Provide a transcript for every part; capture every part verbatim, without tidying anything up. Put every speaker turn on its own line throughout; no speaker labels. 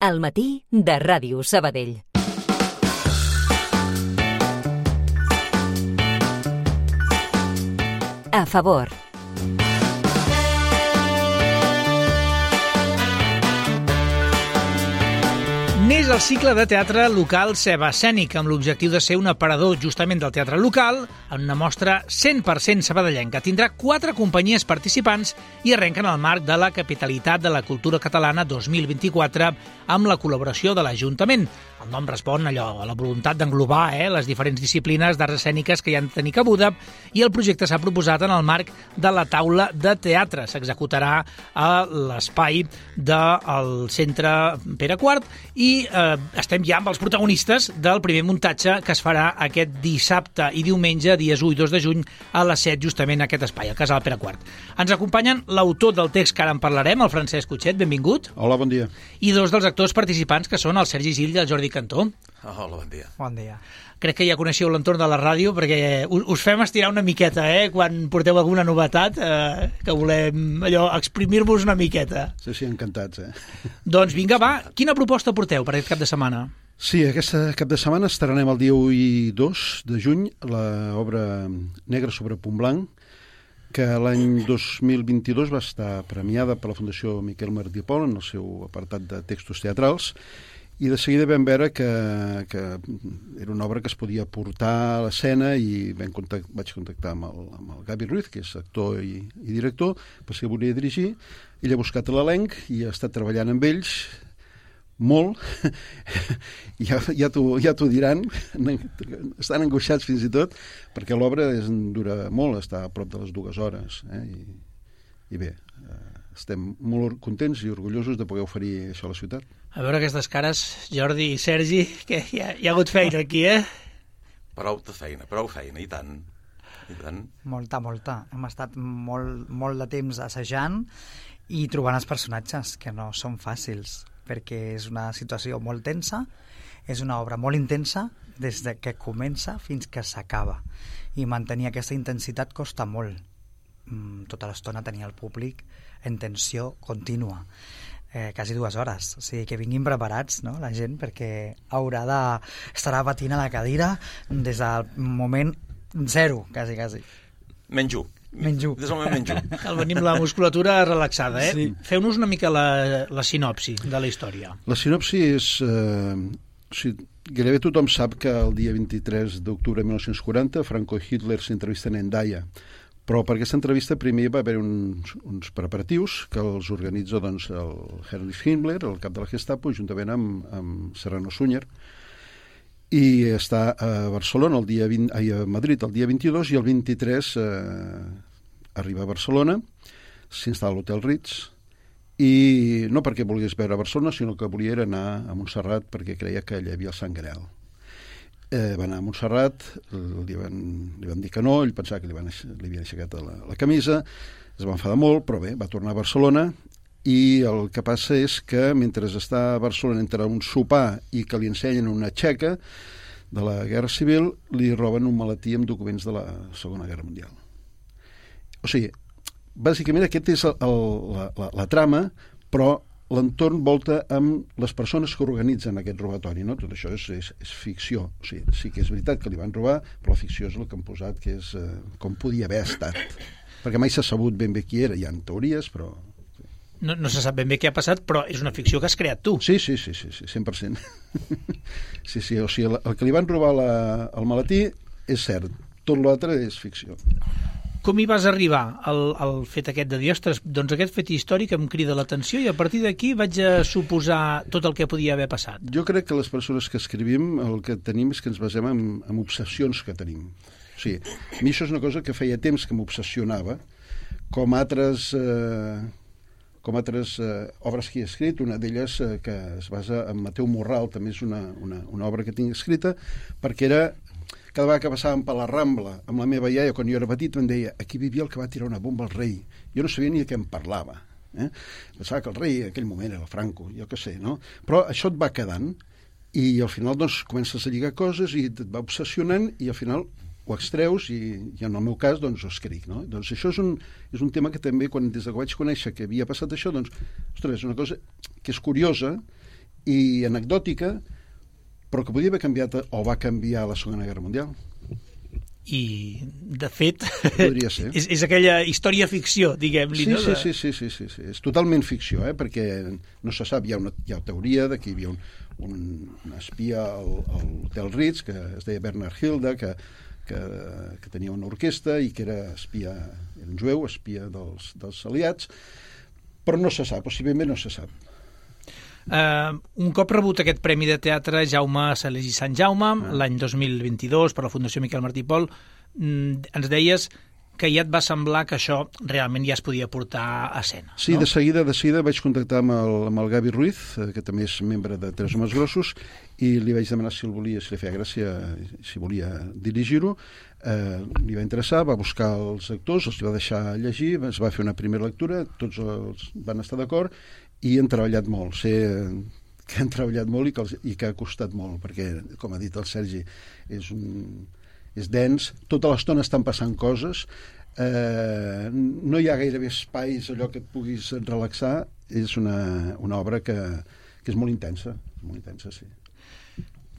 Al matí de Ràdio Sabadell. A favor.
Neix el cicle de teatre local Ceba Escènic, amb l'objectiu de ser un aparador justament del teatre local, en una mostra cent per cent sabadellenca. Tindrà quatre companyies participants i arrenquen al marc de la Capitalitat de la Cultura Catalana dos mil vint-i-quatre amb la col·laboració de l'Ajuntament. El nom respon allò, a la voluntat d'englobar eh, les diferents disciplines d'arts escèniques que hi han de tenir cabuda, i el projecte s'ha proposat en el marc de la taula de teatre. S'executarà a l'espai del Centre Pere quart i eh, estem ja amb els protagonistes del primer muntatge que es farà aquest dissabte i diumenge, dies u i dos de juny, a les set, justament a aquest espai, al Casal Pere quart. Ens acompanyen l'autor del text que ara en parlarem, el Francesc Cutxet, benvingut.
Hola, bon dia.
I dos dels actors participants, que són el Sergi Gil i el Jordi Cantó.
Hola, bon dia.
Bon dia.
Crec que ja coneixeu l'entorn de la ràdio, perquè us fem estirar una miqueta, eh, quan porteu alguna novetat, eh, que volem allò exprimir-vos una miqueta.
Sí, sí, encantats, eh?
Doncs vinga, va, quina proposta porteu per aquest cap de setmana?
Sí, aquest cap de setmana estrenem el dia u i dos de juny l'obra Negre sobre punt blanc, que l'any dos mil vint-i-dos va estar premiada per la Fundació Miquel Martí i Pol en el seu apartat de textos teatrals, i de seguida vam veure que, que era una obra que es podia portar a l'escena, i vam contact, vaig contactar amb el, amb el Gavi Ruiz, que és actor i, i director, per si volia dirigir. Ell ha buscat l'elenc i ha estat treballant amb ells molt. ja ja t'ho ja t'ho diran, estan angoixats fins i tot, perquè l'obra és, dura molt, està a prop de les dues hores, eh? I, i bé, eh, estem molt contents i orgullosos de poder oferir això a la ciutat.
A veure aquestes cares, Jordi i Sergi, que hi ha, hi ha hagut feina aquí, eh?
Prou de feina, prou feina, i tant. I tant.
Molta, molta. Hem estat molt, molt de temps assajant i trobant els personatges, que no són fàcils, perquè és una situació molt tensa, és una obra molt intensa des de que comença fins que s'acaba. I mantenir aquesta intensitat costa molt. Tota l'estona tenir el públic en tensió contínua. Eh, quasi dues hores, o sigui que vinguin preparats, no, la gent, perquè haurà de estarà patint a la cadira des del moment zero, quasi, quasi.
Menjo.
Menjo.
Des del moment menjo.
Cal venir amb la musculatura relaxada, eh?
Sí.
Feu-nos una mica la, la sinopsi de la història.
La sinopsi és... Eh, o sigui, gairebé tothom sap que el dia vint-i-tres d'octubre de mil nou-cents quaranta Franco i Hitler s'entrevisten a Hendaya, però per aquesta entrevista primer va haver uns, uns preparatius que els organitza doncs, el Heinrich Himmler, el cap de la Gestapo, juntament amb, amb Serrano Suñer, i està a Barcelona el dia vint, ai, a Madrid el dia vint-i-dos, i el vint-i-tres eh, arriba a Barcelona, s'instal·la a l'Hotel Ritz, i no perquè volgués veure a Barcelona, sinó que volia anar a Montserrat perquè creia que allà hi havia el Sant Graal. Eh, va anar a Montserrat, li van, li van dir que no, ell pensava que li, van, li havien aixecat la, la camisa, es va enfadar molt, però bé, va tornar a Barcelona, i el que passa és que mentre està a Barcelona entre un sopar i que li ensenyen una txeca de la Guerra Civil, li roben un maletí amb documents de la Segona Guerra Mundial. O sigui, bàsicament aquest és el, el, la, la, la trama, però l'entorn volta amb les persones que organitzen aquest robatori, no? Tot això és, és, és ficció. O sigui, sí que és veritat que li van robar, però la ficció és el que han posat, que és eh, com podia haver estat. Perquè mai s'ha sabut ben bé qui era, hi ha teories, però...
No, no se sap ben bé què ha passat, però és una ficció que has creat tu.
Sí, sí, sí, sí, sí cent per cent. sí, sí, o sigui, el, el que li van robar la, el maletí és cert, tot l'altre és ficció.
Com hi vas arribar al, al fet aquest de dir, ostres, doncs aquest fet històric em crida l'atenció i a partir d'aquí vaig a suposar tot el que podia haver passat?
Jo crec que les persones que escrivim el que tenim és que ens basem en, en obsessions que tenim. O sigui, a mi això és una cosa que feia temps que m'obsessionava, com altres, eh, com altres eh, obres que he escrit, una d'elles eh, que es basa en Mateu Morral, també és una, una, una obra que tinc escrita, perquè era... Cada vegada que passàvem per la Rambla amb la meva iaia, quan jo era petit, em deia aquí vivia el que va tirar una bomba al rei. Jo no sabia ni de què em parlava. Eh? Pensava que el rei en aquell moment era Franco, jo què sé, no? Però això et va quedant i al final doncs, comences a lligar coses i et va obsessionant i al final ho extreus i, i en el meu cas doncs ho escric, no? Doncs això és un, és un tema que també quan des que vaig conèixer que havia passat això, doncs, ostres, és una cosa que és curiosa i anecdòtica, però que podia haver canviat o va canviar la Segona Guerra Mundial.
I, de fet,
Podria ser.
és, és aquella història-ficció, diguem-li,
Sí,
no?
sí, sí, sí, sí, sí, sí. És totalment ficció, eh? Perquè no se sap, hi ha una, hi ha teoria de que hi havia un, un, un espia al, al Hotel Ritz, que es deia Bernard Hilda, que, que, que tenia una orquestra i que era espia, era un jueu, espia dels, dels aliats, però no se sap, possiblement no se sap.
Uh, un cop rebut aquest Premi de Teatre Jaume Salés i Sant Jaume, ah. l'any dos mil vint-i-dos, per la Fundació Miquel Martí i Pol, ens deies que ja et va semblar que això realment ja es podia portar a escena.
Sí,
no?
de seguida de seguida vaig contactar amb el, amb el Gavi Ruiz, que també és membre de Tres Homes Grossos, i li vaig demanar si el volia, si li feia gràcia, si volia dirigir-ho. Eh, li va interessar, va buscar els actors, els va deixar llegir, es va fer una primera lectura, tots els van estar d'acord, i han treballat molt. Sé que han treballat molt i que, els, i que ha costat molt, perquè, com ha dit el Sergi, és, un, és dens, tota l'estona estan passant coses, eh, no hi ha gairebé espais, allò que et puguis relaxar, és una, una obra que, que és molt intensa, molt intensa, sí.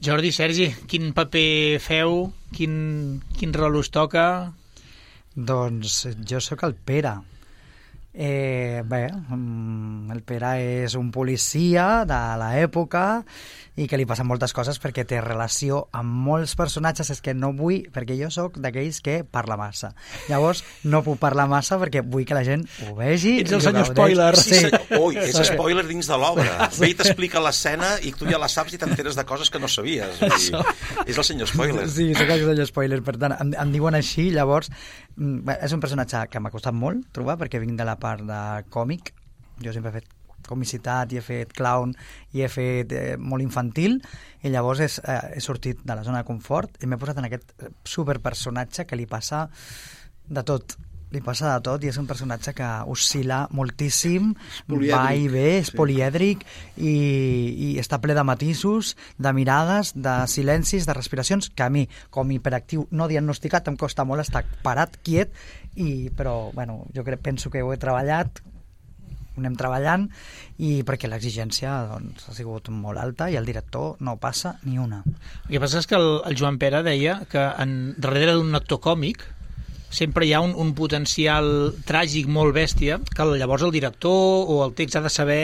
Jordi, Sergi, quin paper feu? Quin, quin rol us toca?
Doncs jo sóc el Pere. Eh, bé, el Pere és un policia de l'època i que li passen moltes coses perquè té relació amb molts personatges. És que no vull, perquè jo sóc d'aquells que parla massa, llavors no puc parlar massa perquè vull que la gent ho vegi.
Ets el senyor spoiler.
Sí, sí. Ui, és spoiler dins de l'obra. Ve i t'explica l'escena i tu ja la saps i t'enteres de coses que no sabies. Vull dir, és el senyor spoiler.
Sí, sóc el senyor spoiler, per tant em, em diuen així. Llavors bé, és un personatge que m'ha costat molt trobar perquè vinc de la part de còmic. Jo sempre he fet comicitat i he fet clown i he fet eh, molt infantil, i llavors és, eh, he sortit de la zona de confort i m'he posat en aquest superpersonatge que li passa de tot. Li passa de tot i és un personatge que oscil·la moltíssim, va i ve, és sí. polièdric i, i està ple de matisos, de mirades, de silencis, de respiracions, que a mi, com hiperactiu no diagnosticat, em costa molt estar parat, quiet, i, però bueno, jo crec, penso que ho he treballat, ho anem treballant, i perquè l'exigència doncs, ha sigut molt alta i el director no passa ni una.
El que passa és que el, el Joan Pere deia que en, darrere d'un actor còmic sempre hi ha un, un potencial tràgic molt bèstia que llavors el director o el text ha de saber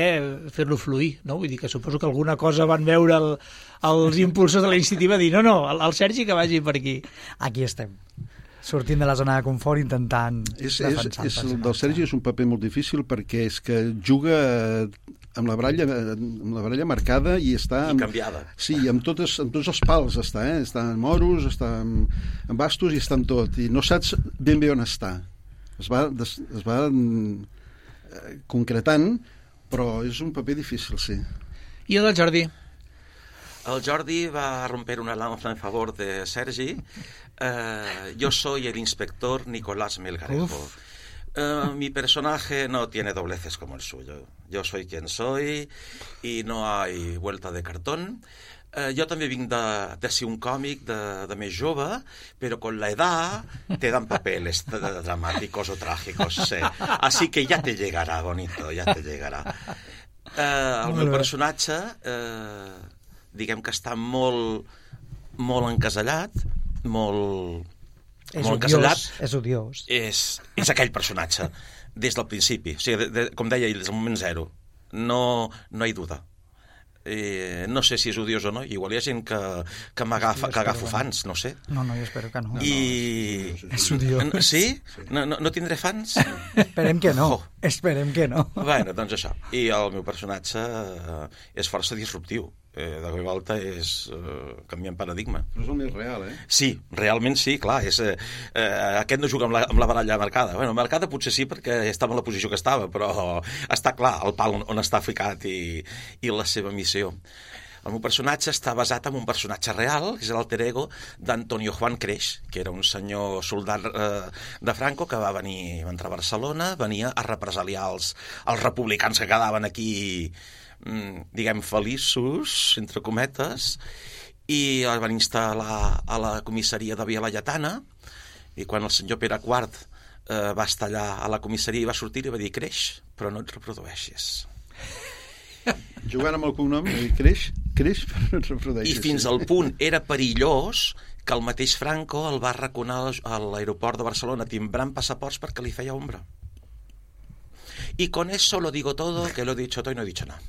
fer-lo fluir, no? Vull dir que suposo que alguna cosa van veure el, els impulsors de la iniciativa dir no, no, el, el Sergi que vagi per aquí.
Aquí estem, sortint de la zona de confort, intentant
és,
defensar
és, és, el del Sergi és un paper molt difícil perquè és que juga amb la baralla, amb la baralla marcada i està...
I
amb,
canviada.
Sí, amb, totes, amb tots els pals està, eh? Està en moros, està en, en bastos i està en tot. I no saps ben bé on està. Es va, des, es va eh, concretant, però és un paper difícil, sí.
I el del Jordi?
El Jordi va romper una lanza en favor de Sergi. Uh, yo soy el inspector Nicolás Melgarejo. Uh, mi personaje no tiene dobleces como el suyo. Yo soy quien soy y no hay vuelta de cartón. Uh, jo també vinc de, de ser un còmic de, de més jove, però con la edad te dan papeles dramáticos o trágicos. Sí. Así que ya te llegará, bonito, ya te llegará. Uh, el meu personatge, uh, diguem que està molt, molt encasellat, molt...
És
molt
odiós,
encasellat,
és odiós.
És, és aquell personatge, des del principi. O sigui, de, de, com deia ell, des del moment zero. No, no hi ha duda. Eh, no sé si és odiós o no. Igual hi ha gent que, que m'agafa, que agafo fans, no sé.
No, no, jo espero que no.
I...
És odiós.
Sí? No, no, no tindré fans?
Esperem que no.
Oh.
Esperem que no.
Bueno, doncs això. I el meu personatge eh, és força disruptiu. Eh, de cop i volta és eh, canviant paradigma.
Però és el més real, eh?
Sí, realment sí, clar. És, eh, eh, aquest no juga amb la, amb la baralla marcada. Bueno, marcada potser sí perquè estava en la posició que estava, però està clar el pal on, on està ficat i, i la seva missió. El meu personatge està basat en un personatge real, que és l'alter ego d'Antonio Juan Creix, que era un senyor soldat eh, de Franco que va venir, va entrar a Barcelona, venia a represaliar els, els republicans que quedaven aquí, diguem, feliços, entre cometes, i el van instal·lar a la comissaria de Via Laietana, i quan el senyor Pere quart eh, va estar allà a la comissaria i va sortir, li va dir: creix, però no et reprodueixis.
Jugant amb el cognom, creix, creix, però no es reprodueix.
I fins al punt era perillós que el mateix Franco el va arraconar a l'aeroport de Barcelona timbrant passaports perquè li feia ombra. Y con eso lo digo todo, que lo he dicho todo y no he dicho nada.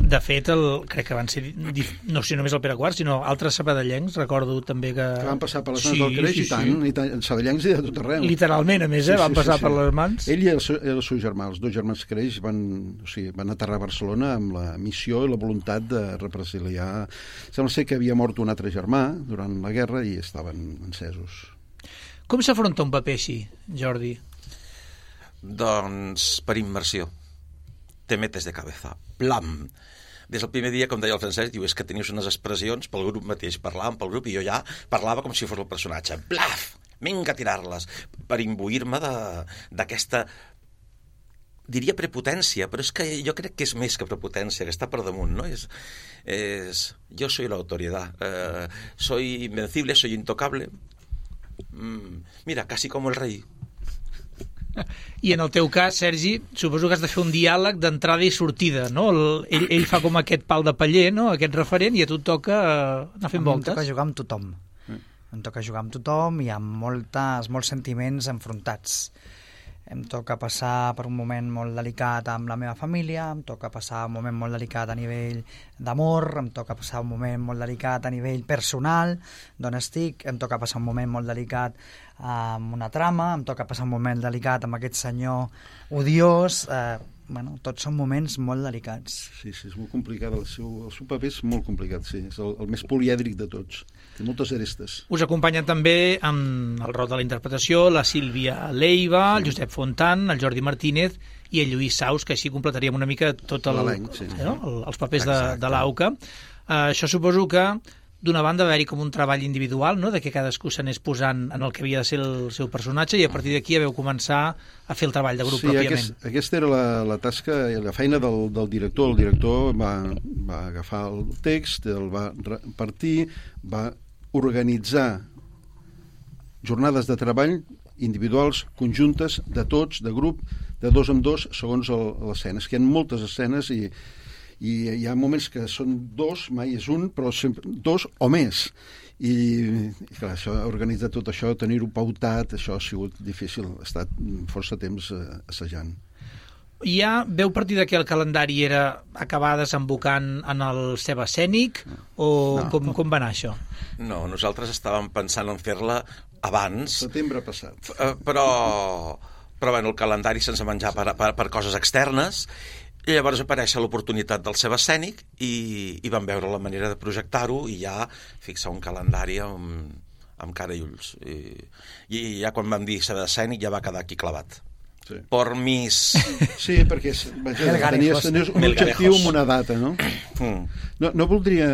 De fet, el, crec que van ser, no sé només el Pere Quart, sinó altres sabadellencs, recordo també que...
Que van passar per les mans sí, del Creix, sí, i tant, sí. i tant, sabadellencs i de tot arreu.
Literalment, a més, eh, sí, van sí, passar sí, sí. per les mans.
Ell i el seu, el seu germà, els dos germans Creix, van, o sigui, van aterrar a Barcelona amb la missió i la voluntat de represaliar. Sembla ser que havia mort un altre germà durant la guerra i estaven encesos.
Com s'afronta un paper així, Jordi?
Doncs per immersió. Te metes de cabeza. Plam! Des del primer dia, com deia el Francesc, diu, és que tenies unes expressions pel grup mateix, parlàvem pel grup i jo ja parlava com si fos el personatge. Blaf! Vinga a tirar-les! Per imbuir-me d'aquesta, diria prepotència, però és que jo crec que és més que prepotència, que està per damunt, no? És, és, jo soy la autoridad, eh, soy invencible, soy intocable. Mm, mira, casi como el rey.
I en el teu cas, Sergi, suposo que has de fer un diàleg d'entrada i sortida, no? El, ell, ell fa com aquest pal de paller, no? Aquest referent, i a tu et toca anar fent voltes.
Em toca jugar amb tothom. Mm. Em toca jugar amb tothom i amb moltes, molts sentiments enfrontats. Em toca passar per un moment molt delicat amb la meva família, em toca passar un moment molt delicat a nivell d'amor, em toca passar un moment molt delicat a nivell personal, d'on estic, em toca passar un moment molt delicat amb una trama, em toca passar un moment delicat amb aquest senyor odiós, eh, bueno, tots són moments molt delicats.
Sí, sí, és molt complicat, el seu, el seu paper és molt complicat, sí, és el, el més polièdric de tots, té moltes arestes.
Us acompanyen també amb el rol de la interpretació la Sílvia Leiva, el Josep Fontan, el Jordi Martínez i el Lluís Saus, que així completaríem una mica tot el,
sí.
no? el, els papers de, de l'AUCA. Uh, això suposo que d'una banda va haver-hi com un treball individual, no?, de que cadascú s'anés posant en el que havia de ser el seu personatge i a partir d'aquí vau començar a fer el treball de grup
sí,
pròpiament.
Sí, aquest, aquesta era la, la tasca i la feina del, del director. El director va, va agafar el text, el va repartir, va organitzar jornades de treball individuals, conjuntes, de tots, de grup, de dos en dos, segons l'escena. És que hi ha moltes escenes i i hi ha moments que són dos, mai és un, però sempre dos o més. I, i clar, això, organitzar tot això, tenir-ho pautat, això ha sigut difícil, ha estat força temps eh, assajant.
Ja veu partir de que el calendari era acabar desembocant en el ceba escènic o no. com, com va anar això?
No, nosaltres estàvem pensant en fer-la abans.
Setembre passat.
Eh, però, però bueno, el calendari se'ns va menjar per, per, per coses externes. I llavors apareix l'oportunitat del ceba escènic i, i vam veure la manera de projectar-ho i ja fixar un calendari amb, amb cara i ulls. I, i ja quan vam dir ceba escènic ja va quedar aquí clavat. Sí. Por mis...
Sí, perquè vaja, tenies, tenies un objectiu amb una data, no? Mm. No, no, voldria,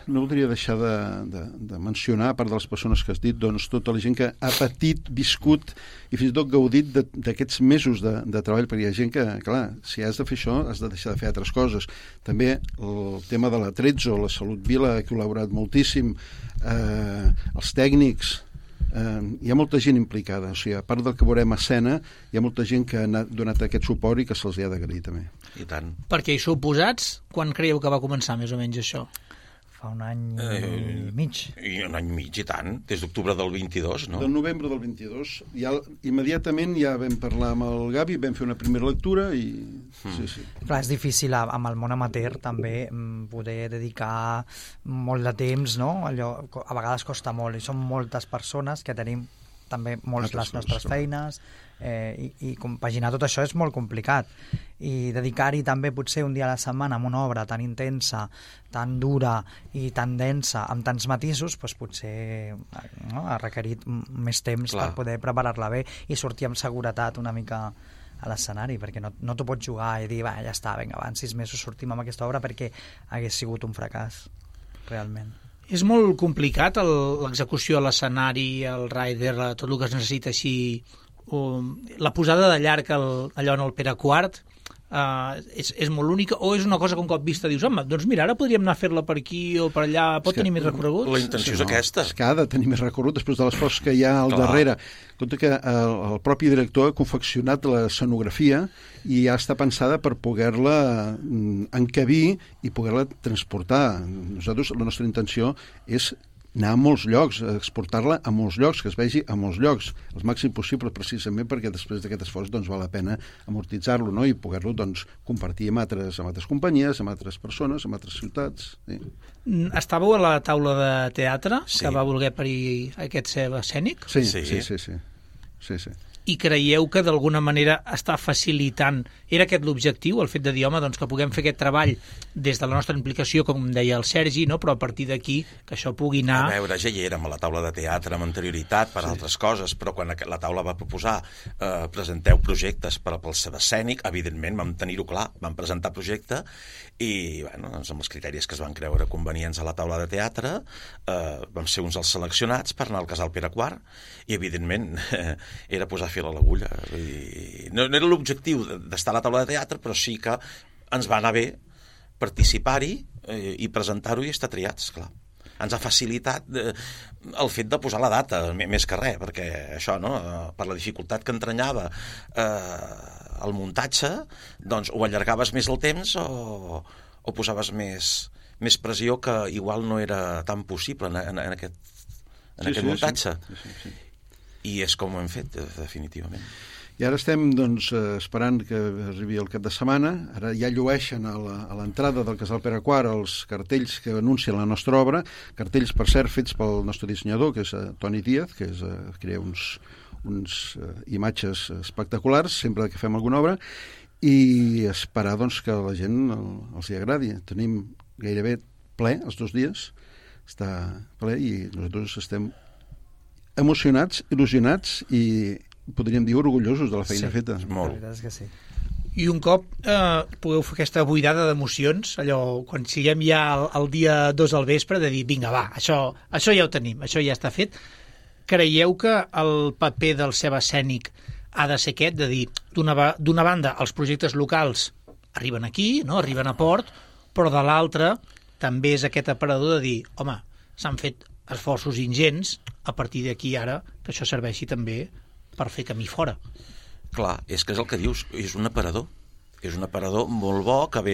no voldria deixar de, de, de mencionar, a part de les persones que has dit, doncs tota la gent que ha patit, viscut i fins i tot gaudit d'aquests mesos de, de treball, perquè hi ha gent que, clar, si has de fer això, has de deixar de fer altres coses. També el tema de la Trezzo, la Salut Vila, ha col·laborat moltíssim, eh, els tècnics... Uh, hi ha molta gent implicada, o sigui, a part del que veurem a escena, hi ha molta gent que ha donat aquest suport i que se'ls ha d'agrair també.
I tant.
Perquè hi sou posats? Quan creieu que va començar més o menys això?
Fa un any
eh,
i mig.
I un any i mig, i tant. Des d'octubre del vint-i-dos, no?
Del novembre del vint-i-dos. Ja, immediatament ja vam parlar amb el Gavi, vam fer una primera lectura i... Mm. Sí, sí.
Clar, és difícil amb el món amateur també poder dedicar molt de temps, no? Allò, a vegades costa molt i som moltes persones que tenim també molts les nostres feines eh, i, i compaginar tot això és molt complicat i dedicar-hi també potser un dia a la setmana a una obra tan intensa, tan dura i tan densa, amb tants matisos, doncs potser no, ha requerit més temps Clar. Per poder preparar-la bé i sortir amb seguretat una mica a l'escenari, perquè no, no t'ho pots jugar i dir, va, ja està, vinga, va, en sis mesos sortim amb aquesta obra perquè hagués sigut un fracàs, realment.
És molt complicat l'execució a l'escenari, el rider, tot el que es necessita així, o la posada de llarg el, allò en el Pere Quart, Uh, és, és molt única, o és una cosa que un cop vista dius, home, doncs mira, ara podríem anar a fer-la per aquí o per allà, pot tenir més recorregut?
La intenció és aquesta.
És que ha de tenir més recorregut després de l'esforç que hi ha al
Clar.
darrere. Compte que el, el propi director ha confeccionat l'escenografia i ja està pensada per poder-la encabir i poder-la transportar. Nosaltres, la nostra intenció és anar a molts llocs, exportar-la a molts llocs, que es vegi a molts llocs, el màxim possible, precisament perquè després d'aquest esforç doncs, val la pena amortitzar-lo, no? I poder-lo doncs, compartir amb altres, amb altres companyies, amb altres persones, amb altres ciutats. Sí.
Estàveu a la taula de teatre
Sí.
que va voler parir aquest ceba escènic?
Sí,
Sí.
sí, sí, sí. sí, sí.
I creieu que d'alguna manera està facilitant, era aquest l'objectiu, el fet de dir, home, doncs que puguem fer aquest treball des de la nostra implicació, com deia el Sergi, no? Però a partir d'aquí que això pugui anar...
A veure, ja hi érem a la taula de teatre amb anterioritat per sí. altres coses, però quan la taula va proposar eh, presenteu projectes per al ceba escènic, evidentment vam tenir-ho clar, vam presentar projecte i bueno, doncs amb els criteris que es van creure convenients a la taula de teatre eh, vam ser uns dels seleccionats per anar al Casal Pere quart i evidentment eh, era posar fil a l'agulla. No, no era l'objectiu d'estar a la taula de teatre, però sí que ens va anar bé participar-hi eh, i presentar-ho i estar triats, clar. Ens ha facilitat eh, el fet de posar la data, més que res, perquè això, no?, per la dificultat que entranyava eh, el muntatge, doncs o allargaves més el temps o, o posaves més, més pressió que igual no era tan possible en, en, en aquest, en
sí,
aquest
sí,
muntatge.
Sí, sí, sí.
I és com ho hem fet, definitivament.
I ara estem doncs, esperant que arribi el cap de setmana. Ara ja llueixen a l'entrada del Casal Pere quart els cartells que anuncien la nostra obra, cartells, per cert, fets pel nostre dissenyador, que és Toni Díaz, que és, crea uns, uns uh, imatges espectaculars sempre que fem alguna obra, i esperar doncs, que a la gent el, els hi agradi. Tenim gairebé ple els dos dies, està ple, i nosaltres estem emocionats, il·lusionats i podríem dir orgullosos de la feina
sí,
feta.
Molt.
La veritat és que sí.
I un cop eh, pugueu fer aquesta buidada d'emocions, allò, quan siguem ja el, el dia dos al vespre, de dir, vinga, va, això, això ja ho tenim, això ja està fet, creieu que el paper del ceba escènic ha de ser aquest, de dir, d'una banda, els projectes locals arriben aquí, no?, arriben a port, però de l'altra també és aquest aparador de dir, home, s'han fet esforços ingents, a partir d'aquí ara que això serveixi també per fer camí fora.
Clar, és que és el que dius, és un aparador. És un aparador molt bo que ve,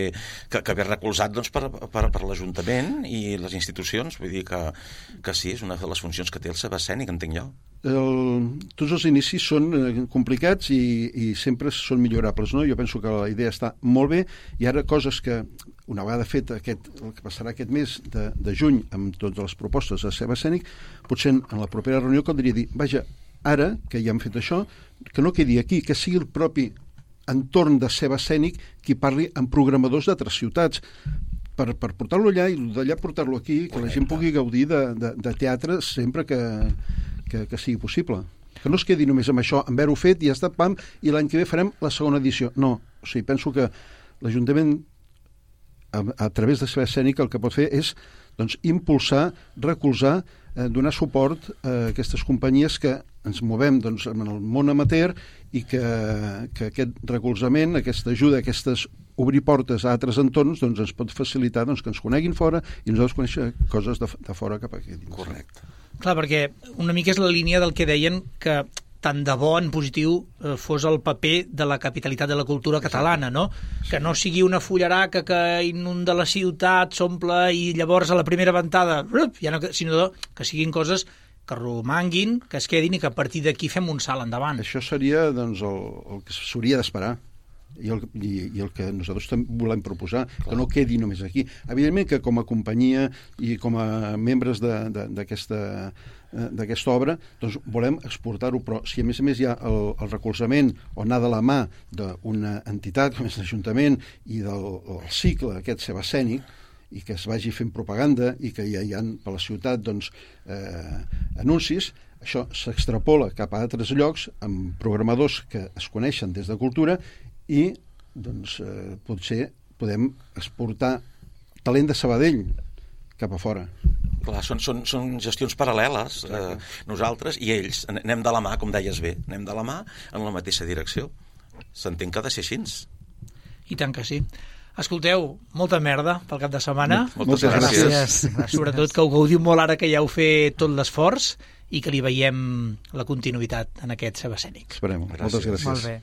que, que ve recolzat doncs, per, per, per l'Ajuntament i les institucions. Vull dir que, que sí, és una de les funcions que té el ceba escènic, entenc jo.
El, tots els inicis són complicats i, i sempre són millorables, no? Jo penso que la idea està molt bé i ara coses que una vegada fet aquest, el que passarà aquest mes de, de juny amb totes les propostes de ceba escènic, potser en la propera reunió caldria dir, vaja, ara que ja hem fet això, que no quedi aquí, que sigui el propi entorn de ceba escènic qui parli amb programadors d'altres ciutats per, per portar-lo allà i d'allà portar-lo aquí, que la gent pugui gaudir de, de, de teatre sempre que, que, que sigui possible. Que no es quedi només amb això, amb haver-ho fet i ja està, pam, i l'any que ve farem la segona edició. No, o sigui, penso que l'Ajuntament a, a través de ceba escènica el que pot fer és doncs, impulsar, recolzar, eh, donar suport a aquestes companyies que ens movem doncs, en el món amateur i que, que aquest recolzament, aquesta ajuda, aquestes obrir portes a altres entorns doncs, ens pot facilitar doncs, que ens coneguin fora i nosaltres conèixer coses de, de fora cap aquí dins.
Correcte.
Clar, perquè una mica és la línia del que deien que tant de bo en positiu eh, fos el paper de la capitalitat de la cultura catalana, no? Sí. Que no sigui una fullaraca que inunda la ciutat, s'omple i llavors a la primera ventada, ja no, sinó que siguin coses que romanguin, que es quedin i que a partir d'aquí fem un salt endavant.
Això seria doncs, el, el que s'hauria d'esperar i el, i, i el que nosaltres també volem proposar, clar, que no quedi només aquí. Evidentment que com a companyia i com a membres d'aquesta d'aquesta obra, doncs volem exportar-ho, però si a més a més hi ha el, el recolzament o anar de la mà d'una entitat com és l'Ajuntament i del el cicle aquest ceba escènic i que es vagi fent propaganda i que ja hi ha per la ciutat doncs, eh, anuncis, això s'extrapola cap a altres llocs amb programadors que es coneixen des de cultura i doncs, eh, potser podem exportar talent de Sabadell cap a fora.
Clar, són, són, són gestions paral·leles, eh, nosaltres i ells. Anem de la mà, com deies bé, anem de la mà en la mateixa direcció. S'entén que ha de ser així.
I tant que sí. Escolteu, molta merda pel cap de setmana.
Moltes gràcies.
Gràcies. gràcies.
Sobretot que ho gaudiu molt ara que ja heu fet tot l'esforç i que li veiem la continuïtat en aquest Ceba Escènic.
Esperem.
Gràcies.
Moltes gràcies.
Molt bé.